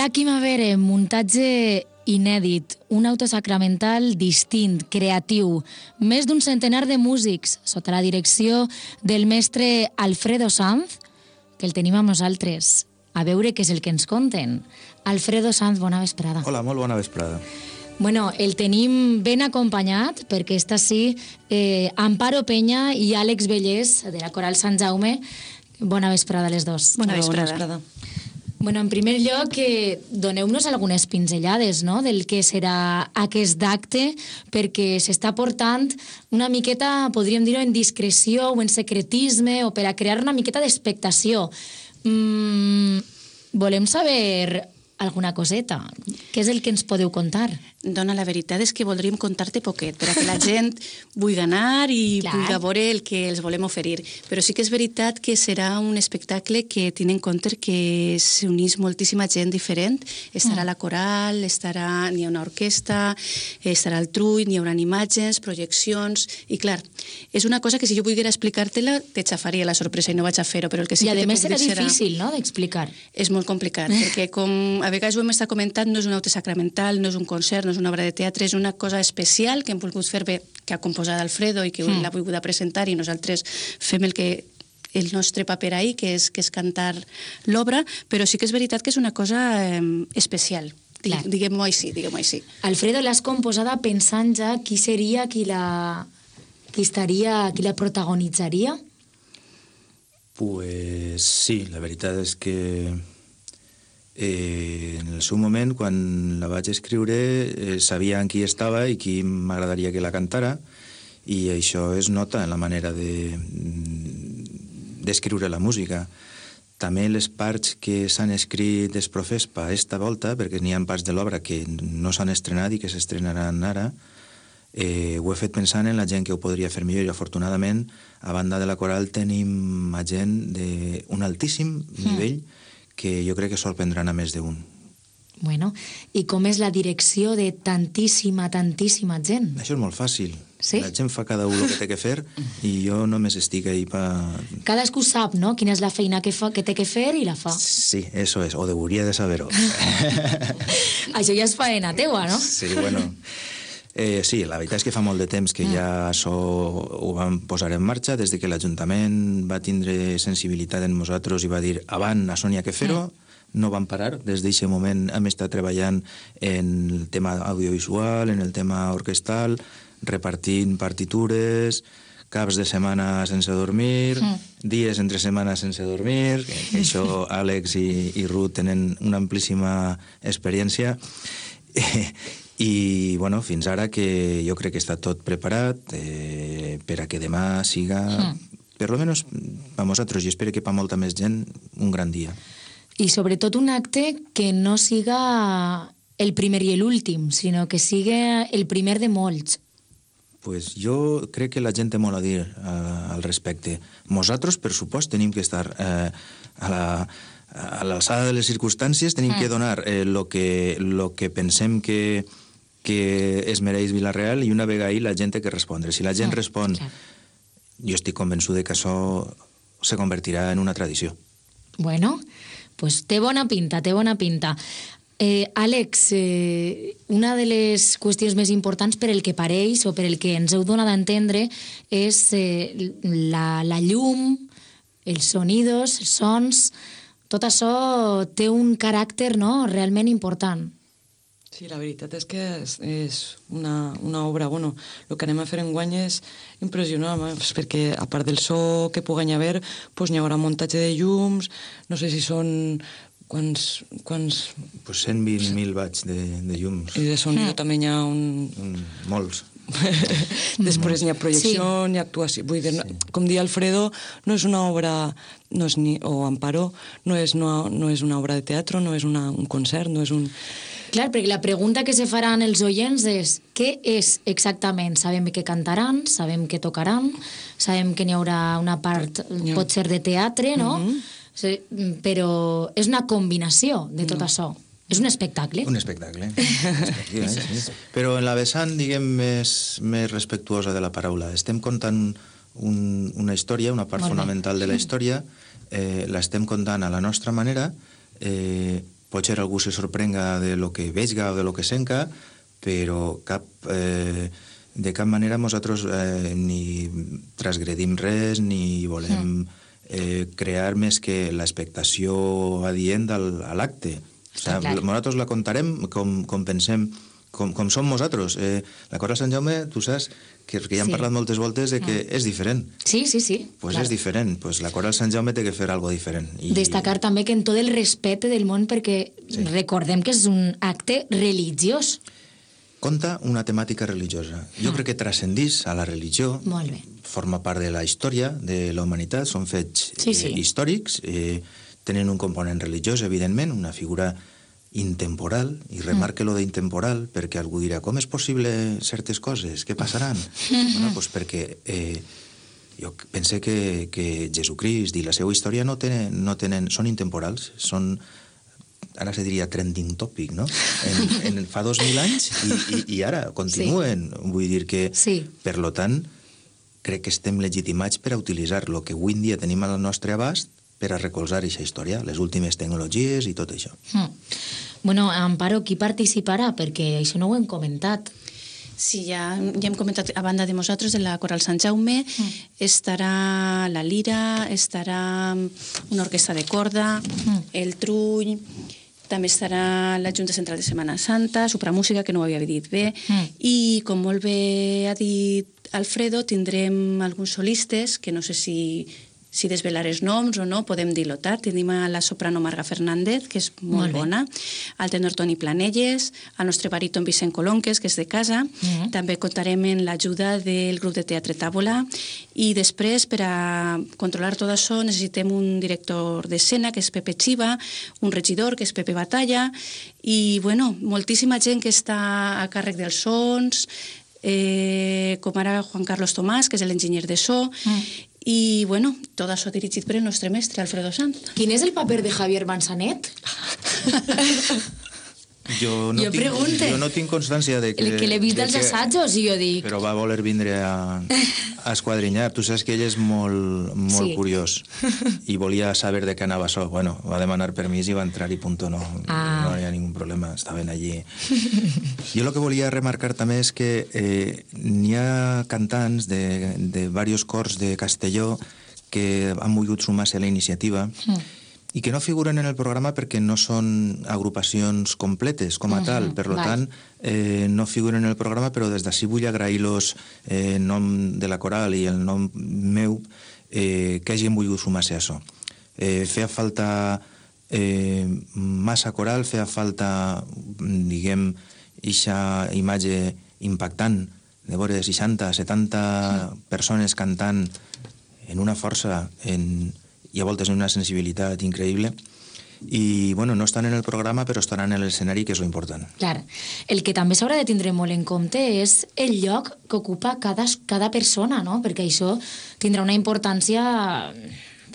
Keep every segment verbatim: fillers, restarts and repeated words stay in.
Black Primavera, muntatge inèdit, un autosacramental distint, creatiu, més d'un centenar de músics, sota la direcció del mestre Alfredo Sanz, que el tenim amb nosaltres. A veure què és el que ens conten. Alfredo Sanz, bona vesprada. Hola, molt bona vesprada. Bueno, el tenim ben acompanyat, perquè està sí eh, Amparo Peña i Àlex Vellés, de la Coral Sant Jaume. Bona vesprada a les dos. Bona vesprada. Bona vesprada. Bueno, en primer lloc, eh, doneu-nos algunes pinzellades, no?, del que serà aquest acte, perquè s'està portant una miqueta, podríem dir-ho, en discreció o en secretisme, o per a crear una miqueta d'expectació. Mm, volem saber alguna coseta. Què és el que ens podeu contar? Dona, la veritat és que voldríem contar-te poquet, per a que la gent vulgui anar i Clar. vulgui veure el que els volem oferir. Però sí que és veritat que serà un espectacle que tiene en compte que s'unís moltíssima gent diferent. Estarà mm. la coral, estarà, n'hi ha una orquestra, estarà el trull, n'hi haurà imatges, projeccions... I clar, és una cosa que si jo volguera explicar-te-la, te xafaria la sorpresa i no vaig a fer-ho, però el que sí I que a te més puc serà dir difícil, no?, d'explicar. És molt complicat, perquè com a vegades ho hem estat comentant, no és un autosacramental, no és un concert, no és una obra de teatre, és una cosa especial que hem volgut fer bé, que ha composat Alfredo i que mm. l'ha volgut presentar, i nosaltres fem el que el nostre paper ahí, que és, que és cantar l'obra, però sí que és veritat que és una cosa eh, especial. Clar. Diguem-ho així, diguem-ho així. Alfredo, l'has composada pensant ja qui seria qui la, qui estaria, qui la protagonitzaria? Pues sí, la veritat és que Eh, en el seu moment, quan la vaig escriure, eh, sabia en qui estava i qui m'agradaria que la cantara, i això es nota en la manera de d'escriure la música. També les parts que s'han escrit es profespa esta volta, perquè n'hi ha parts de l'obra que no s'han estrenat i que s'estrenaran ara, eh, ho he fet pensant en la gent que ho podria fer millor, i afortunadament, a banda de la coral, tenim gent d'un altíssim nivell mm. que jo crec que sorprendran a més d'un. Bueno, i com és la direcció de tantíssima, tantíssima gent? Això és molt fàcil. Sí? La gent fa cada un el que té que fer i jo només estic ahí pa... Cadascú sap, no?, quina és la feina que, fa, que té que fer i la fa. Sí, eso es, o debería de saber-ho. Això ja és faena teua, no? Sí, bueno... Eh, sí, la veritat és que fa molt de temps que ja això ho vam posar en marxa, des de que l'Ajuntament va tindre sensibilitat en nosaltres i va dir avant, això n'hi ha que fer-ho, no vam parar. Des d'aquest moment hem estat treballant en el tema audiovisual, en el tema orquestal, repartint partitures, caps de setmana sense dormir, mm. dies entre setmana sense dormir, que això Àlex i, i Ruth tenen una amplíssima experiència. I, bueno, fins ara que jo crec que està tot preparat eh, per a que demà siga, mm. per lo menos per nosaltres, i espero que per molta més gent, un gran dia. I sobretot un acte que no siga el primer i l'últim, sinó que siga el primer de molts. Pues jo crec que la gent té molt a dir uh, al respecte. Nosaltres, per supost, tenim que estar uh, a la... a l'alçada de les circumstàncies, tenim mm. que donar eh, lo, que, lo que pensem que, que es mereix Vila-real, i una vegada ahí la gent té que respondre. Si la gent mm, respon, clar. Jo estic convençut de que això se convertirà en una tradició. Bueno, pues té bona pinta, té bona pinta. Eh, Àlex, eh, una de les qüestions més importants per el que pareix o per el que ens heu donat a entendre és eh, la, la llum, els sonidos, els sons... Tot això té un caràcter, no?, realment important. Sí, la veritat és que és, és una, una obra, bueno, el que anem a fer enguany és impressionant, perquè a part del so que pugui haver, doncs hi haurà muntatge de llums, no sé si són... Quants... quants... Pues cent vint mil watts de, de llums. I de sonido mm. també hi ha un... un molts. Després n'hi ha projecció, sí. n'hi ha actuació. Vull dir, sí. Com dia Alfredo, no és una obra, no és ni, o Amparo, no és, no, no és una obra de teatre, no és una, un concert, no és un... Clar, perquè la pregunta que se faran els oients és què és exactament? Sabem que cantaran, sabem que tocaran, sabem que n'hi haurà una part, no. pot ser de teatre, no? Mm-hmm. Sí, però és una combinació de tot no. això. És un espectacle. Un espectacle. sí, sí. Però en la vessant, diguem, més, més respectuosa de la paraula. Estem contant un, una història, una part Molt fonamental bé. de la història, eh, l'estem contant a la nostra manera, eh, potser algú se sorprenga de lo que veiga o de lo que senca, però cap, eh, de cap manera nosaltres eh, ni transgredim res ni volem eh, crear més que l'expectació adient al, a l'acte. O sigui, nosaltres la contarem com, com pensem, com, com som nosaltres. Eh, la Coral Sant Jaume, tu saps que, que ja hem sí. parlat moltes voltes de que mm. és diferent. Sí, sí, sí. Pues claro. és diferent. Pues la Coral Sant Jaume té que fer algo diferent. I... Destacar també que en tot el respecte del món, perquè sí. recordem que és un acte religiós. Conta una temàtica religiosa. Jo mm. crec que transcendís a la religió. Molt bé. Forma part de la història de la humanitat, són fets sí, sí. Eh, històrics, eh, tenen un component religiós, evidentment, una figura intemporal, i remarque mm. lo d'intemporal, perquè algú dirà, com és possible certes coses? Què passaran? Mm-hmm. Bueno, doncs perquè eh, jo pense que, que Jesucrist i la seva història no tenen, no tenen, són intemporals, són, ara se diria trending topic, no? En, en, fa dos mil anys i, i, i ara continuen. Sí. Vull dir que, sí. per lo tant, crec que estem legitimats per a utilitzar el que avui en dia tenim al nostre abast per a recolzar aquesta història, les últimes tecnologies i tot això. Mm. Bueno, Amparo, qui participarà? Perquè això no ho hem comentat. Sí, ja, ja hem comentat, a banda de nosaltres, de la Coral Sant Jaume, mm. estarà la lira, estarà una orquestra de corda, mm. el trull, també estarà la Junta Central de Setmana Santa, Supramúsica, que no ho havia dit bé, mm. i, com molt bé ha dit Alfredo, tindrem alguns solistes, que no sé si... si desvelar els noms o no, podem dir-lo tard. Tenim a la soprano Marga Fernández, que és molt, molt bona, al tenor Toni Planelles, al nostre baríton Vicent Colonques, que és de casa. Mm-hmm. També comptarem en l'ajuda del grup de teatre Tàbola, i després, per a controlar tot això, necessitem un director d'escena, que és Pepe Chiva, un regidor, que és Pepe Batalla, i, bueno, moltíssima gent que està a càrrec dels sons, eh, com ara Juan Carlos Tomàs, que és l'enginyer de so, mm. i, bueno, tot això dirigit per el nostre mestre, Alfredo Sanz. Quin és el paper de Javier Manzanet? Jo no, jo, tinc, jo no tinc constància de que... El que l'he vist dels assajos, i jo dic... Però va voler vindre a, a esquadrinyar. Tu saps que ell és molt, molt sí. curiós i volia saber de què anava això. Bueno, va demanar permís i va entrar i punto. No, ah. no hi ha ningú problema, estaven allí. Jo el que volia remarcar també és que eh, n'hi ha cantants de, de diversos cors de Castelló que han volgut sumar-se a la iniciativa mm. i que no figuren en el programa perquè no són agrupacions completes com a uh-huh, tal. Per tant, eh, no figuren en el programa, però des d'ací vull agrair-los eh, en nom de la Coral i el nom meu eh, que hagin volgut sumar-se a això. Eh, feia falta eh, massa coral, feia falta, diguem, eixa imatge impactant de veure seixanta, setanta uh-huh. persones cantant en una força, en... i a voltes una sensibilitat increïble, i, bueno, no estan en el programa, però estaran en l'escenari, que és l'important. Clar. El que també s'haurà de tindre molt en compte és el lloc que ocupa cada, cada persona, no? Perquè això tindrà una importància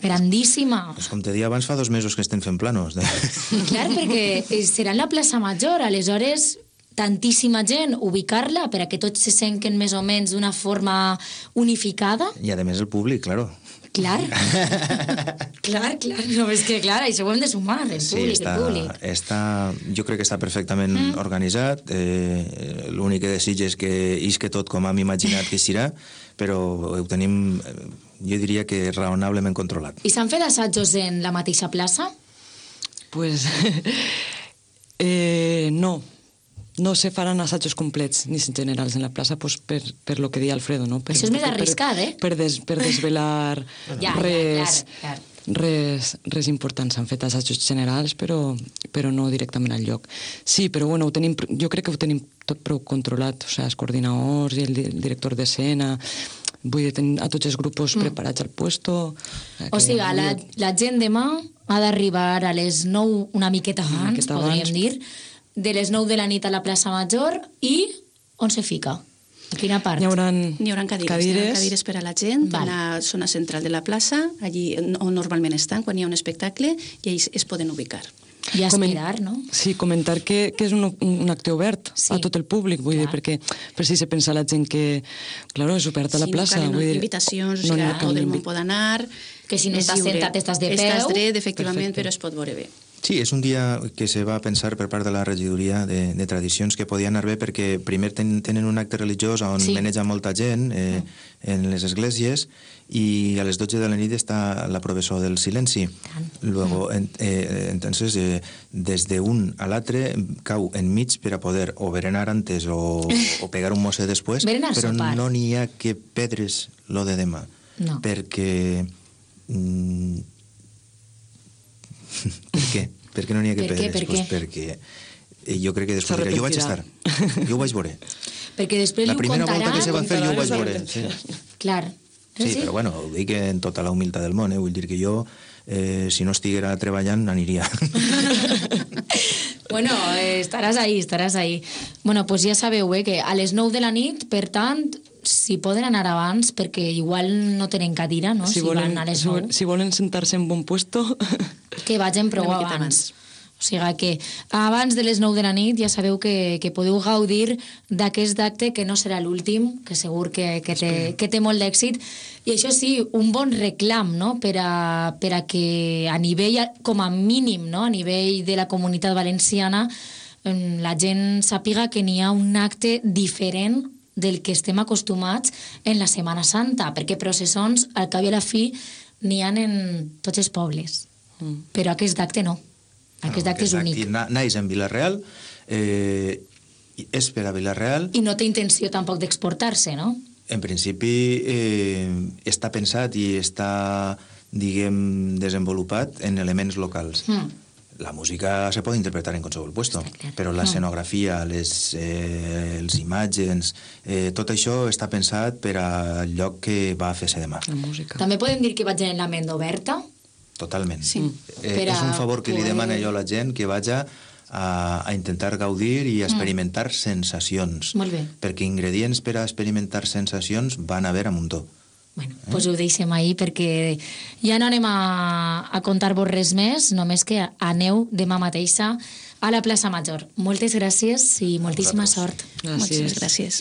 grandíssima. Pues com te deia abans, fa dos mesos que estem fent planos. Clar, perquè serà en la plaça Major, aleshores... tantíssima gent, ubicar-la per a que tots se senten més o menys d'una forma unificada. I a més el públic, claro. Clar, clar, clar, no, és que clar, això ho hem de sumar, el sí, públic, està, el públic. Està, jo crec que està perfectament mm. organitzat, eh, l'únic que desig és que isque tot com hem imaginat que serà, però ho tenim, jo diria que raonablement controlat. I s'han fet assajos en la mateixa plaça? Pues, eh, no. No se faran assajos complets ni generals en la plaça, pues, per, per lo que deia Alfredo, no? Per, això és més arriscat, eh? Per, des, per desvelar ja, res, ja, clar, clar. res, res important. S'han fet assajos generals, però, però no directament al lloc. Sí, però bueno, ho tenim, jo crec que ho tenim tot prou controlat, o sigui, els coordinadors i el, el director d'escena, vull dir, tenir a tots els grups mm. preparats al puesto. O sigui, la, la gent demà ha d'arribar a les nou, una miqueta abans, una miqueta podríem abans. dir, de les nou de la nit a la plaça Major, i on se fica? A quina part? Hi haurà cadires, cadires. cadires per a la gent, vale. En la zona central de la plaça, allí on normalment estan, quan hi ha un espectacle, i ells es poden ubicar. I a esperar, no? Sí, comentar que, que és un, un acte obert sí. a tot el públic, vull clar. dir, perquè per si se pensa la gent que, claro, és obert a la sí, plaça. No vull dir, invitacions, no, o sigui, no, tot el món pot anar, que si no estàs sentat estàs de peu. Estàs dret, efectivament, però es pot veure bé. Sí, és un dia que se va pensar per part de la regidoria de, de tradicions que podia anar bé perquè primer ten, tenen un acte religiós on Sí. maneja molta gent eh, Mm. en les esglésies i a les dotze de la nit està la professó del silenci. Luego, en, eh, entonces, eh, des d'un a l'altre cau enmig per a poder o berenar antes o, o pegar un mosset després, Berenar, però sopar. no n'hi ha que pedres lo de demà. No. Perquè... Mm, per què? Per què no n'hi ha que Per què, pedres? per Pues què? perquè eh, jo crec que després S'ha dirà, jo vaig estar, repetirà. jo ho vaig veure. Perquè després La li ho primera volta contaran... que se va fer jo ho vaig veure. Sí. Sí, Clar. sí, però bueno, ho dic en tota la humilitat del món, eh? Vull dir que jo, eh, si no estiguera treballant, aniria. Bueno, eh, estaràs ahí, estaràs ahí. Bueno, pues ja sabeu, eh, que a les nou de la nit, per tant, si poden anar abans, perquè igual no tenen cadira, no?, si, Si volen, van a les si, nou, vol- si volen sentar-se en bon puesto... que vagin prou Una miqueta abans. O sigui que abans de les nou de la nit ja sabeu que, que podeu gaudir d'aquest acte que no serà l'últim, que segur que, que, té, que té molt d'èxit. I això sí, un bon reclam, no?, per a, per a que a nivell, com a mínim, no?, a nivell de la comunitat valenciana, em, la gent sàpiga que n'hi ha un acte diferent del que estem acostumats en la Setmana Santa, perquè processons, al cap i a la fi, n'hi ha en tots els pobles. Mm. Però aquest acte no. Aquest acte és únic. Na, naix en Vila-real, eh, i és per a Vila-real. I no té intenció tampoc d'exportar-se, no? En principi eh, està pensat i està, diguem, desenvolupat en elements locals. Mm. La música se pot interpretar en qualsevol puesto, Està clar. però l'escenografia, les, eh, els imatges, eh, tot això està pensat per al lloc que va a fer-se demà. La música. També podem dir que vaig en la ment oberta. Totalment. Sí. Eh, Per és un a favor que li poder- demana jo a la gent que vaja a, a intentar gaudir i a experimentar mm. sensacions. Molt bé. Perquè ingredients per a experimentar sensacions van haver a muntó. Bueno, doncs pues ho deixem ahir perquè ja no anem a, a contar-vos res més, només que aneu demà mateixa a la plaça Major. Moltes gràcies i moltíssima vosaltres. sort. Gràcies. Moltíssimes gràcies.